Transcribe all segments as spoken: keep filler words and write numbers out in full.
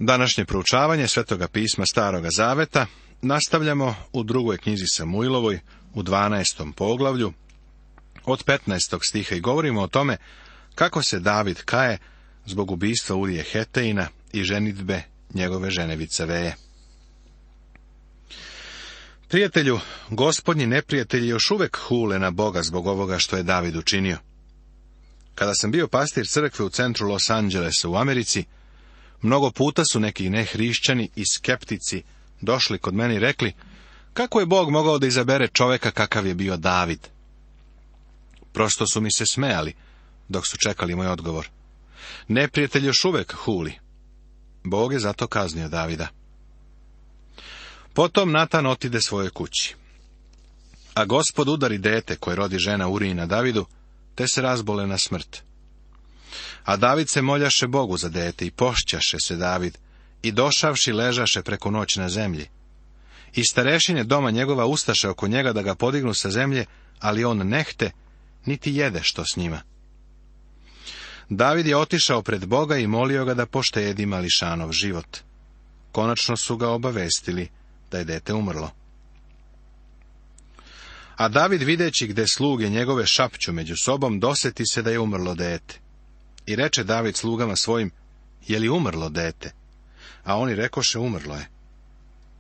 Današnje proučavanje Svetoga pisma Staroga zaveta nastavljamo u drugoj knjizi Samuilovoj, u dvanaestom poglavlju, od petnaestog stiha, i govorimo o tome kako se David kaje zbog ubistva Urije Heteina i ženidbe njegove žene Vicaveje. Prijatelju, gospodnji neprijatelji još uvek hule na Boga zbog ovoga što je David učinio. Kada sam bio pastir crkve u centru Los Angelesa u Americi, mnogo puta su neki nehrišćani i skeptici došli kod mene i rekli, kako je Bog mogao da izabere čoveka kakav je bio David? Prosto su mi se smejali, dok su čekali moj odgovor. Neprijatelj još uvek huli. Bog je zato kaznio Davida. Potom Natan otide svojoj kući. A Gospod udari dete koje rodi žena Urijina Davidu, te se razbole na smrt. A David se moljaše Bogu za dete i pošćaše se David, i došavši ležaše preko noći na zemlji. I starešine doma njegova ustaše oko njega da ga podignu sa zemlje, ali on nehte, niti jede što s njima. David je otišao pred Boga i molio ga da poštedi mališanov život. Konačno su ga obavestili da je dete umrlo. A David, videći gde sluge njegove šapću među sobom, doseti se da je umrlo dete. I reče David slugama svojim, je li umrlo dete? A oni rekoše, umrlo je.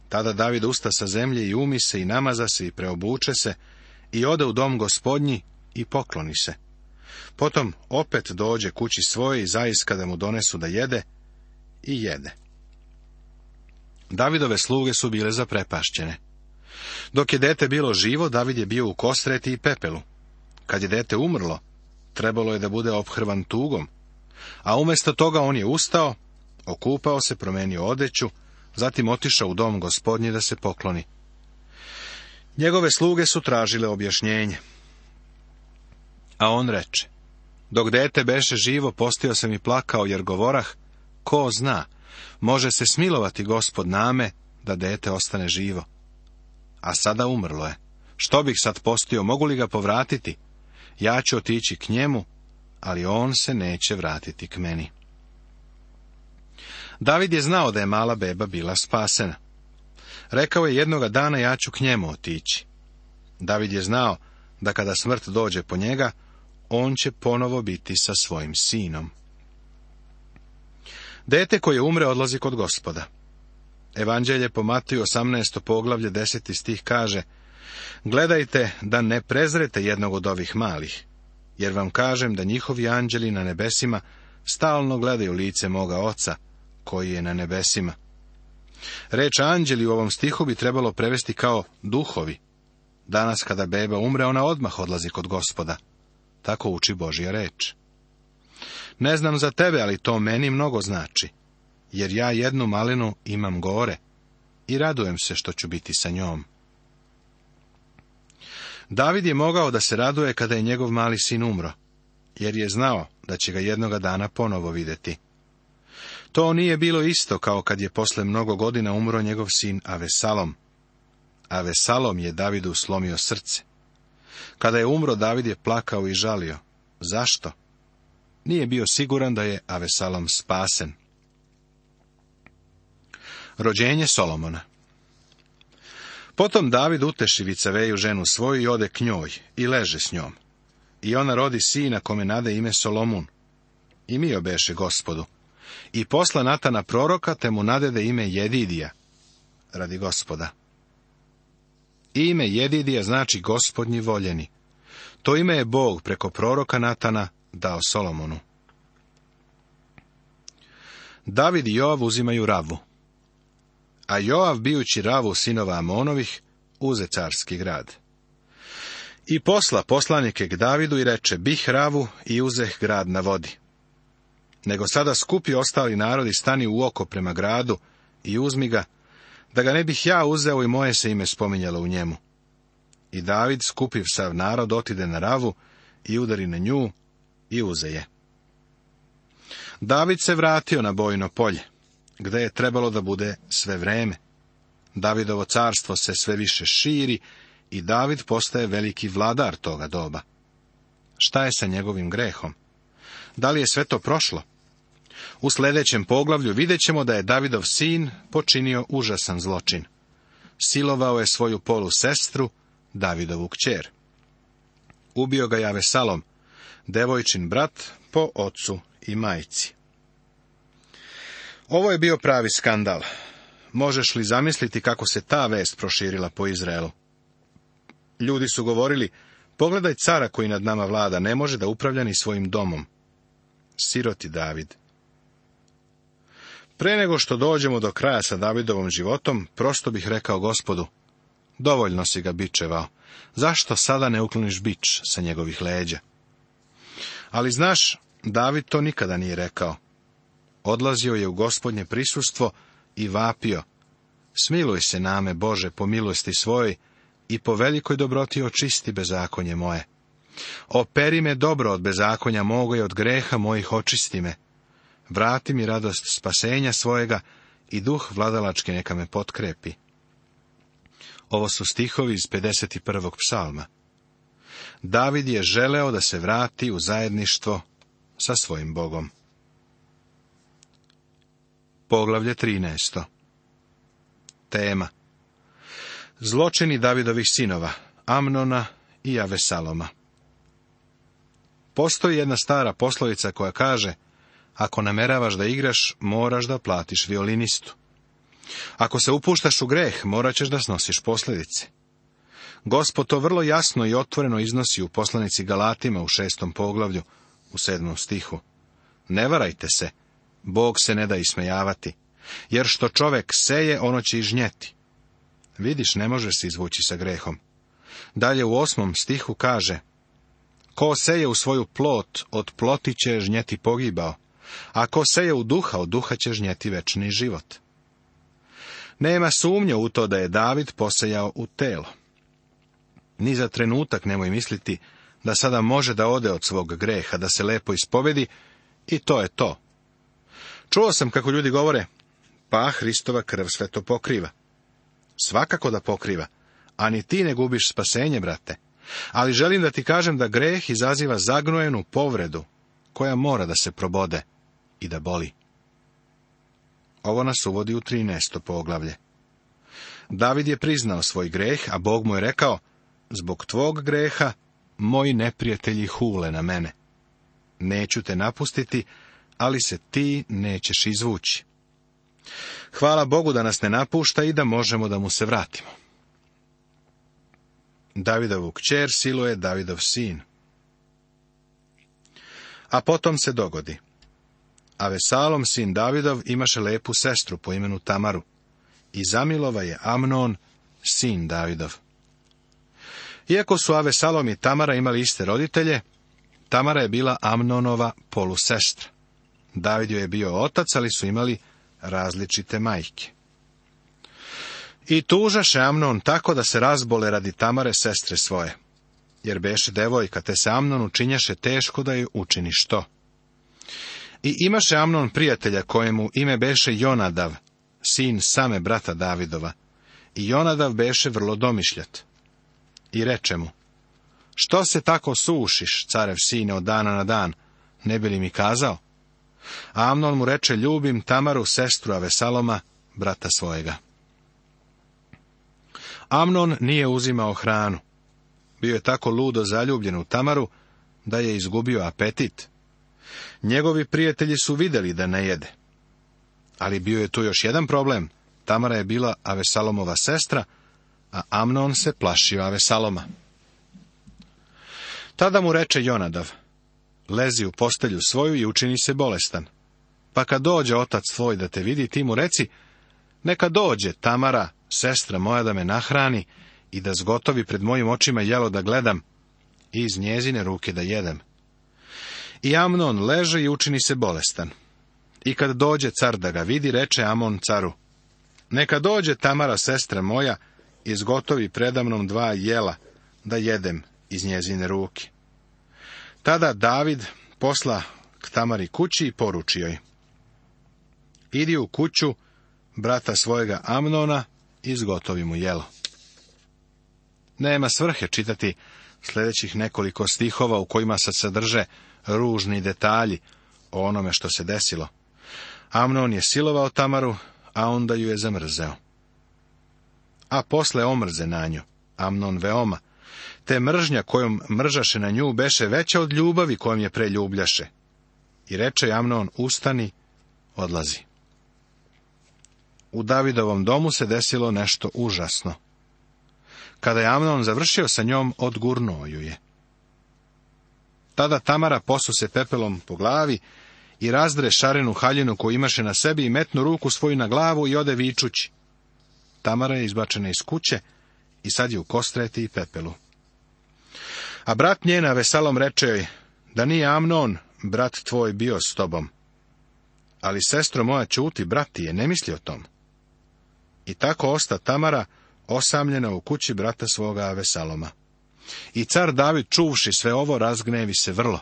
Tada David usta sa zemlje i umi se i namaza se i preobuče se i ode u dom gospodnji i pokloni se. Potom opet dođe kući svoje i zaiska da mu donesu da jede, i jede. Davidove sluge su bile zaprepašćene. Dok je dete bilo živo, David je bio u kostreti i pepelu. Kad je dete umrlo, trebalo je da bude ophrvan tugom, a umjesto toga on je ustao, okupao se, promenio odeću, zatim otišao u dom gospodnji da se pokloni. Njegove sluge su tražile objašnjenje. A on reče, dok dete beše živo, postio sam i plakao, jer govorah, ko zna, može se smilovati Gospod name, da dete ostane živo. A sada umrlo je. Što bih sad postio, mogu li ga povratiti? Ja ću otići k njemu, ali on se neće vratiti k meni. David je znao da je mala beba bila spasena. Rekao je jednoga dana, ja ću k njemu otići. David je znao da kada smrt dođe po njega, on će ponovo biti sa svojim sinom. Dete koje umre odlazi kod Gospoda. Evanđelje po Matiju osamnaesto poglavlje deseti stih kaže, gledajte da ne prezrete jednog od ovih malih, jer vam kažem da njihovi anđeli na nebesima stalno gledaju lice moga Oca, koji je na nebesima. Reč anđeli u ovom stihu bi trebalo prevesti kao duhovi. Danas kada beba umre, ona odmah odlazi kod Gospoda. Tako uči Božja reč. Ne znam za tebe, ali to meni mnogo znači, jer ja jednu malinu imam gore i radujem se što ću biti sa njom. David je mogao da se raduje kada je njegov mali sin umro, jer je znao da će ga jednoga dana ponovo vidjeti. To nije bilo isto kao kad je posle mnogo godina umro njegov sin Avesalom. Avesalom je Davidu slomio srce. Kada je umro, David je plakao i žalio. Zašto? Nije bio siguran da je Avesalom spasen. Rođenje Solomona. Potom David uteši Vicaveju ženu svoju i ode k njoj i leže s njom. I ona rodi sina kome nade ime Solomun. I mio beše Gospodu. I posla Natana proroka, te mu nadede ime Jedidija, radi Gospoda. Ime Jedidija znači Gospodnji voljeni. To ime je Bog preko proroka Natana dao Solomonu. David i Joav uzimaju Ravu. A Joav, bijući Ravu sinova Amonovih, uze carski grad. I posla poslanike k Davidu i reče, bih Ravu i uzeh grad na vodi. Nego sada skupi ostali narodi, stani u oko prema gradu i uzmi ga, da ga ne bih ja uzeo i moje se ime spominjalo u njemu. I David, skupiv sav narod, otide na Ravu i udari na nju i uze je. David se vratio na bojno polje, gde je trebalo da bude sve vreme. Davidovo carstvo se sve više širi i David postaje veliki vladar toga doba. Šta je sa njegovim grehom? Da li je sve to prošlo? U sljedećem poglavlju vidjet ćemo da je Davidov sin počinio užasan zločin. Silovao je svoju polusestru, Davidovu kćer. Ubio ga je Avesalom, devojčin brat po ocu i majci. Ovo je bio pravi skandal. Možeš li zamisliti kako se ta vest proširila po Izraelu? Ljudi su govorili, pogledaj cara koji nad nama vlada, ne može da upravlja ni svojim domom. Siroti David. Pre nego što dođemo do kraja sa Davidovom životom, prosto bih rekao Gospodu, dovoljno si ga bičevao, zašto sada ne ukloniš bič sa njegovih leđa? Ali znaš, David to nikada nije rekao. Odlazio je u Gospodnje prisustvo i vapio, smiluj se name, Bože, po milosti svojoj i po velikoj dobroti očisti bezakonje moje. Operi me dobro od bezakonja moga i od greha mojih očisti me. Vrati mi radost spasenja svojega i duh vladalački neka me potkrepi. Ovo su stihovi iz pedeset prvog psalma. David je želeo da se vrati u zajedništvo sa svojim Bogom. Poglavlje trinaesto. Tema. Zločini Davidovih sinova, Amnona i Avesaloma. Postoji jedna stara poslovica koja kaže, ako nameravaš da igraš, moraš da platiš violinistu. Ako se upuštaš u greh, morat ćeš da snosiš posljedice. Gospod to vrlo jasno i otvoreno iznosi u poslanici Galatima u šestom poglavlju, u sedmom stihu. Ne varajte se, Bog se ne da ismejavati, jer što čovek seje, ono će i žnjeti. Vidiš, ne može se izvući sa grehom. Dalje u osmom stihu kaže, ko seje u svoju plot, od ploti će žnjeti pogibao, a ko seje u duha, od duha će žnjeti večni život. Nema sumnje u to da je David posejao u telo. Ni za trenutak nemoj misliti da sada može da ode od svog greha, da se lepo ispovedi, i to je to. Čuo sam kako ljudi govore, pa Hristova krv sve to pokriva. Svakako da pokriva, a ni ti ne gubiš spasenje, brate. Ali želim da ti kažem da greh izaziva zagnojenu povredu, koja mora da se probode i da boli. Ovo nas uvodi u trinaesto poglavlje. David je priznao svoj greh, a Bog mu je rekao, zbog tvog greha moji neprijatelji hule na mene. Neću te napustiti, ali se ti nećeš izvući. Hvala Bogu da nas ne napušta i da možemo da mu se vratimo. Davidovu kćer siluje Davidov sin. A potom se dogodi. Avesalom, sin Davidov, imaše lepu sestru po imenu Tamaru, i zamilova je Amnon, sin Davidov. Iako su Avesalom i Tamara imali iste roditelje, Tamara je bila Amnonova polusestra. David joj je bio otac, ali su imali različite majke. I tužaše Amnon tako da se razbole radi Tamare, sestre svoje, jer beše devojka, te se Amnonu činjaše teško da joj učini što. I imaše Amnon prijatelja kojemu ime beše Jonadav, sin same brata Davidova, i Jonadav beše vrlo domišljat. I reče mu, što se tako sušiš, carev sine, od dana na dan, ne bi li mi kazao? A Amnon mu reče, ljubim Tamaru, sestru Avesaloma, brata svojega. Amnon nije uzimao hranu. Bio je tako ludo zaljubljen u Tamaru, da je izgubio apetit. Njegovi prijatelji su vidjeli da ne jede. Ali bio je tu još jedan problem. Tamara je bila Avesalomova sestra, a Amnon se plašio Avesaloma. Tada mu reče Jonadav, lezi u postelju svoju i učini se bolestan. Pa kad dođe otac tvoj da te vidi, ti mu reci, neka dođe Tamara, sestra moja, da me nahrani i da zgotovi pred mojim očima jelo da gledam i iz njezine ruke da jedem. I Amnon leže i učini se bolestan. I kad dođe car da ga vidi, reče Amon caru, neka dođe Tamara, sestra moja, i zgotovi predamnom dva jela da jedem iz njezine ruke. Tada David posla k Tamari kući i poruči joj, idi u kuću brata svojega Amnona i zgotovi mu jelo. Nema svrhe čitati sljedećih nekoliko stihova u kojima se sadrže ružni detalji o onome što se desilo. Amnon je silovao Tamaru, a onda ju je zamrzeo. A posle omrze na nju, Amnon veoma, te mržnja kojom mržaše na nju beše veća od ljubavi kojom je preljubljaše. I reče Amnon, ustani, odlazi. U Davidovom domu se desilo nešto užasno. Kada je Amnon završio sa njom, odgurnuo ju je. Tada Tamara posu se pepelom po glavi i razdre šarenu haljinu koju imaše na sebi i metnu ruku svoju na glavu i ode vičući. Tamara je izbačena iz kuće i sad je u kostreti i pepelu. A brat njen Avesalom reče joj, da nije Amnon, brat tvoj, bio s tobom. Ali sestro moja, ćuti, brat ti je, ne misli o tom. I tako osta Tamara osamljena u kući brata svoga Avesaloma. I car David, čuvši sve ovo, razgnevi se vrlo.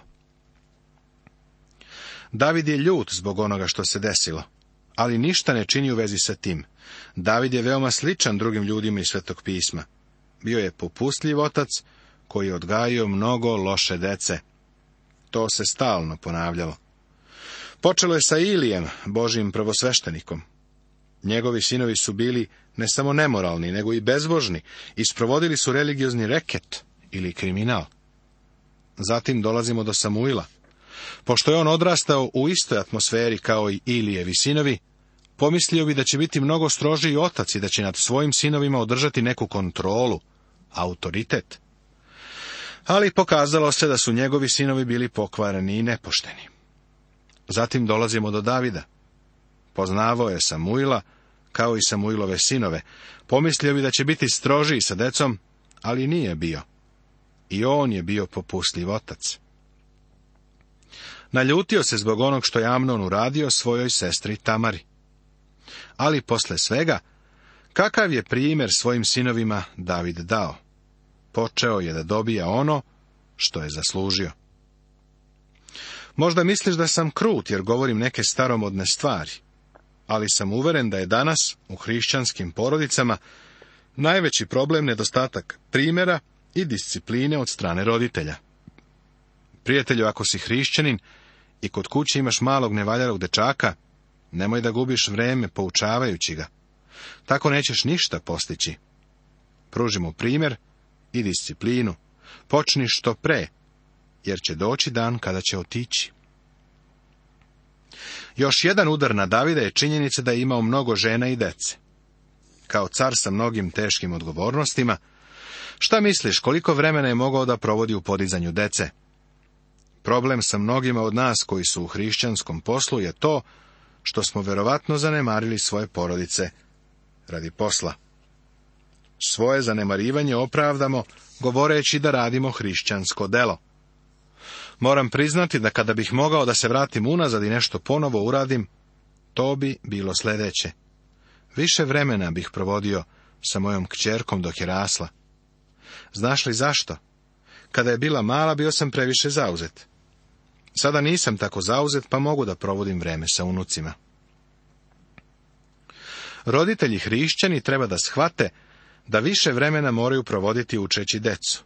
David je ljut zbog onoga što se desilo, ali ništa ne čini u vezi sa tim. David je veoma sličan drugim ljudima iz Svetog pisma. Bio je popustljiv otac koji je odgajio mnogo loše dece. To se stalno ponavljalo. Počelo je sa Ilijem, Božjim prvosveštenikom. Njegovi sinovi su bili ne samo nemoralni, nego i bezbožni i sprovodili su religiozni reket ili kriminal. Zatim dolazimo do Samuila. Pošto je on odrastao u istoj atmosferi kao i Ilijevi sinovi, pomislio bi da će biti mnogo strožiji otac i da će nad svojim sinovima održati neku kontrolu, autoritet. Ali pokazalo se da su njegovi sinovi bili pokvareni i nepošteni. Zatim dolazimo do Davida. Poznavao je Samuila, kao i Samuilove sinove. Pomislio bi da će biti strožiji sa decom, ali nije bio. I on je bio popustljiv otac. Naljutio se zbog onog što je Amnon uradio svojoj sestri Tamari. Ali posle svega, kakav je primjer svojim sinovima David dao? Počeo je da dobija ono što je zaslužio. Možda misliš da sam krut jer govorim neke staromodne stvari, ali sam uveren da je danas u hrišćanskim porodicama najveći problem nedostatak primjera i discipline od strane roditelja. Prijatelju, ako si hrišćanin i kod kuće imaš malog nevaljalog dečaka, nemoj da gubiš vreme poučavajući ga. Tako nećeš ništa postići. Pruži mu primjer i disciplinu. Počni što pre, jer će doći dan kada će otići. Još jedan udar na Davida je činjenica da je imao mnogo žena i dece. Kao car sa mnogim teškim odgovornostima, šta misliš koliko vremena je mogao da provodi u podizanju dece? Problem sa mnogima od nas koji su u hrišćanskom poslu je to što smo verovatno zanemarili svoje porodice radi posla. Svoje zanemarivanje opravdamo govoreći da radimo hrišćansko delo. Moram priznati da kada bih mogao da se vratim unazad i nešto ponovo uradim, to bi bilo sljedeće. Više vremena bih provodio sa mojom kćerkom dok je rasla. Znaš li zašto? Kada je bila mala, bio sam previše zauzet. Sada nisam tako zauzet, pa mogu da provodim vreme sa unucima. Roditelji hrišćani treba da shvate da više vremena moraju provoditi učeći decu.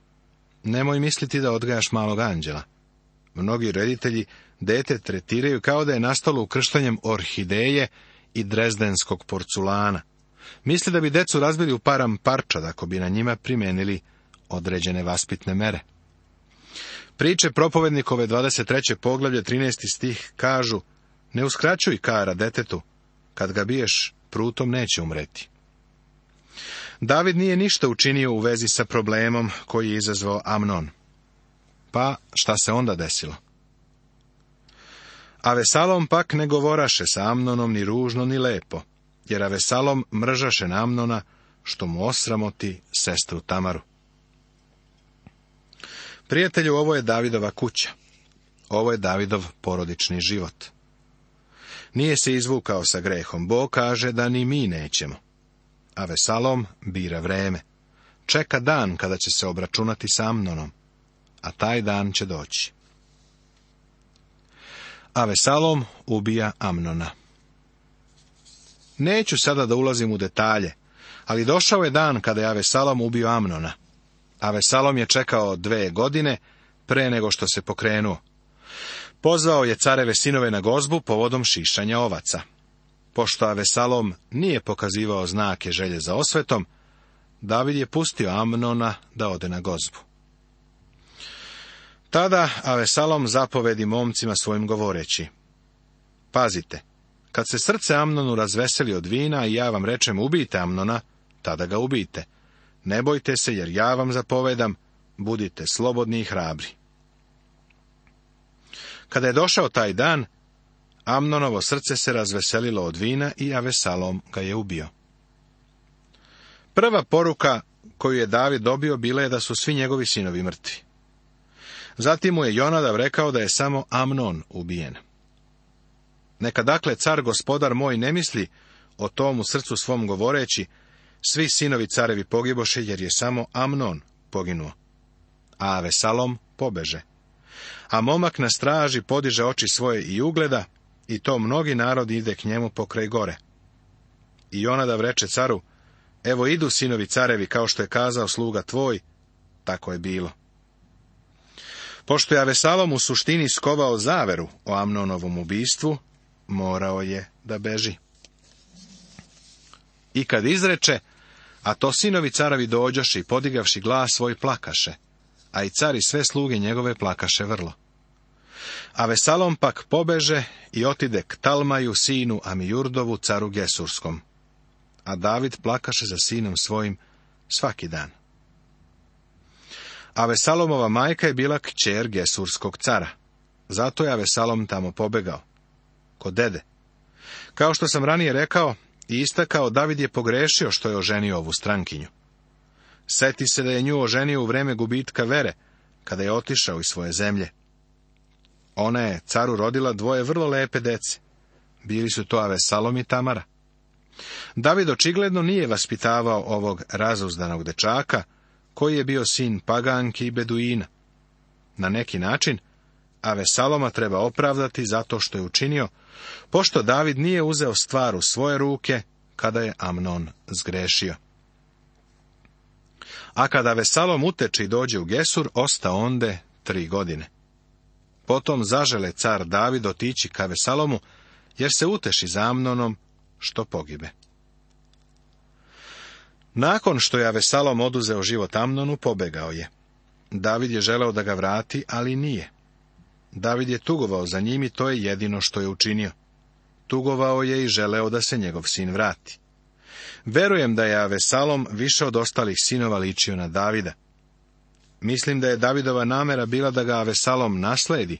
Nemoj misliti da odgajaš malog anđela. Mnogi roditelji dete tretiraju kao da je nastalo ukrštanjem orhideje i drezdenskog porculana. Misle da bi decu razbili u param parčad ako bi na njima primenili određene vaspitne mere. Priče propovednikove dvadeset treće poglavlje trinaesti stih kažu: ne uskraćuj kara detetu, kad ga biješ, prutom neće umreti. David nije ništa učinio u vezi sa problemom koji je izazvao Amnon. Pa šta se onda desilo? Avesalom pak ne govoraše sa Amnonom ni ružno ni lepo, jer Avesalom mržaše na Amnona, što mu osramoti sestru Tamaru. Prijatelju, ovo je Davidova kuća. Ovo je Davidov porodični život. Nije se izvukao sa grehom. Bog kaže da ni mi nećemo. Avesalom bira vreme. Čeka dan kada će se obračunati sa Amnonom, a taj dan će doći. Avesalom ubija Amnona. Neću sada da ulazim u detalje, ali došao je dan kada je Avesalom ubio Amnona. Avesalom je čekao dve godine pre nego što se pokrenuo. Pozvao je careve sinove na gozbu povodom šišanja ovaca. Pošto Avesalom nije pokazivao znake želje za osvetom, David je pustio Amnona da ode na gozbu. Tada Avesalom zapovedi momcima svojim govoreći: pazite, kad se srce Amnonu razveseli od vina i ja vam rečem ubijte Amnona, tada ga ubijte. Ne bojte se, jer ja vam zapovedam, budite slobodni i hrabri. Kada je došao taj dan, Amnonovo srce se razveselilo od vina i Avesalom ga je ubio. Prva poruka koju je David dobio bila je da su svi njegovi sinovi mrtvi. Zatim mu je Jonadav rekao da je samo Amnon ubijen. Neka dakle car gospodar moj ne misli o tom u srcu svom govoreći: svi sinovi carevi pogiboše, jer je samo Amnon poginuo, a Avesalom pobeže. A momak na straži podiže oči svoje i ugleda, i to mnogi narodi ide k njemu pokraj gore. I Jonadav reče caru: evo idu sinovi carevi, kao što je kazao sluga tvoj, tako je bilo. Pošto je Avesalom u suštini skovao zaveru o Amnonovom ubistvu, morao je da beži. I kad izreče, a to sinovi carevi dođoše i podigavši glas svoj plakaše, a i car i sve sluge njegove plakaše vrlo. Avesalom pak pobeže i otide k Talmaju, sinu Amijurdovu, caru Gesurskom. A David plakaše za sinom svojim svaki dan. Avesalomova majka je bila kćer Gesurskog cara. Zato je Avesalom tamo pobegao, kod dede. Kao što sam ranije rekao i istakao, David je pogrešio što je oženio ovu strankinju. Seti se da je nju oženio u vreme gubitka vere, kada je otišao iz svoje zemlje. Ona je caru rodila dvoje vrlo lepe dece. Bili su to Avesalom i Tamara. David očigledno nije vaspitavao ovog razuzdanog dečaka, koji je bio sin Paganki i Beduina. Na neki način, Avesaloma treba opravdati zato što je učinio, pošto David nije uzeo stvar u svoje ruke, kada je Amnon zgrešio. A kada Avesalom uteče i dođe u Gesur, osta onde tri godine. Potom zažele car David otići ka Avesalomu, jer se uteši za Amnonom, što pogibe. Nakon što je Avesalom oduzeo život Amnonu, pobegao je. David je želeo da ga vrati, ali nije. David je tugovao za njim i to je jedino što je učinio. Tugovao je i želeo da se njegov sin vrati. Verujem da je Avesalom više od ostalih sinova ličio na Davida. Mislim da je Davidova namera bila da ga Avesalom nasledi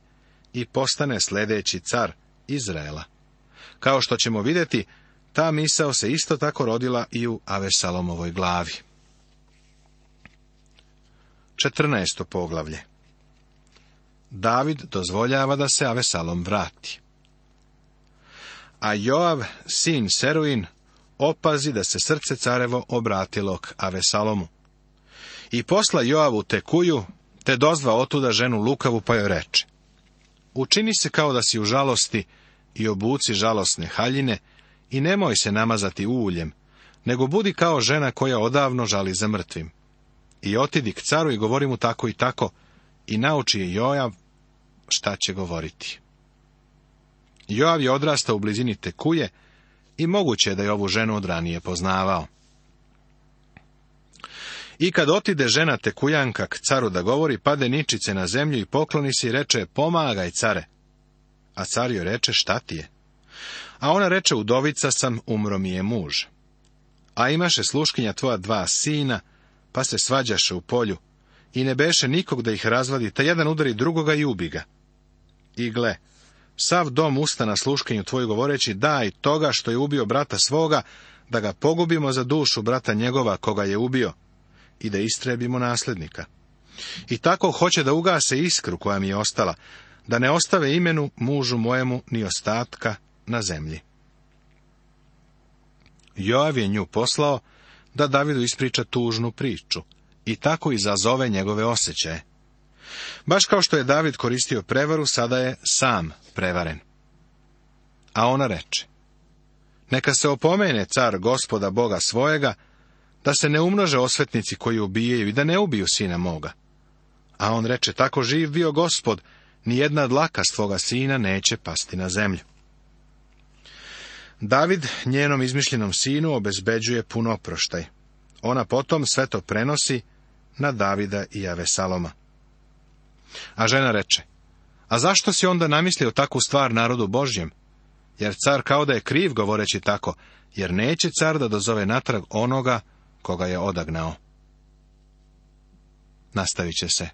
i postane sledeći car Izraela. Kao što ćemo vidjeti, ta misao se isto tako rodila i u Avesalomovoj glavi. četrnaesto poglavlje. David dozvoljava da se Avesalom vrati. A Joav, sin Seruin, opazi da se srce carevo obratilo k Avesalomu. I posla Joavu Tekuju, te dozva otuda ženu lukavu, pa joj reče: učini se kao da si u žalosti i obuci žalosne haljine i nemoj se namazati uljem, nego budi kao žena koja odavno žali za mrtvim. I otidi k caru i govori mu tako i tako, i nauči je Joav šta će govoriti. Joav je odrastao u blizini Tekuje i moguće je da je ovu ženu od ranije poznavao. I kad otide žena Tekujanka k caru da govori, pade ničice na zemlju i pokloni se i reče: pomagaj, care. A car joj reče: šta ti je? A ona reče: udovica sam, umro mi je muž. A imaše sluškinja tvoja dva sina, pa se svađaše u polju, i ne beše nikog da ih razvadi, ta jedan udari drugoga i ubi ga. I gle, sav dom usta na sluškinju tvoju govoreći: daj toga što je ubio brata svoga, da ga pogubimo za dušu brata njegova koga je ubio, i da istrebimo naslednika. I tako hoće da ugase iskru koja mi je ostala, da ne ostave imenu mužu mojemu ni ostatka na zemlji. Joav je nju poslao da Davidu ispriča tužnu priču i tako izazove njegove osjećaje. Baš kao što je David koristio prevaru, sada je sam prevaren. A ona reče: neka se opomene car gospoda Boga svojega, da se ne umnože osvetnici koji ubijaju i da ne ubiju sina moga. A on reče: tako živ bio Gospod, ni jedna dlaka s tvoga sina neće pasti na zemlju. David njenom izmišljenom sinu obezbeđuje pun oproštaj. Ona potom sve to prenosi na Davida i Avesaloma. A žena reče, a zašto si onda namislio takvu stvar narodu Božjem? Jer car kao da je kriv govoreći tako, jer neće car da dozove natrag onoga koga je odagnao. Nastavit će se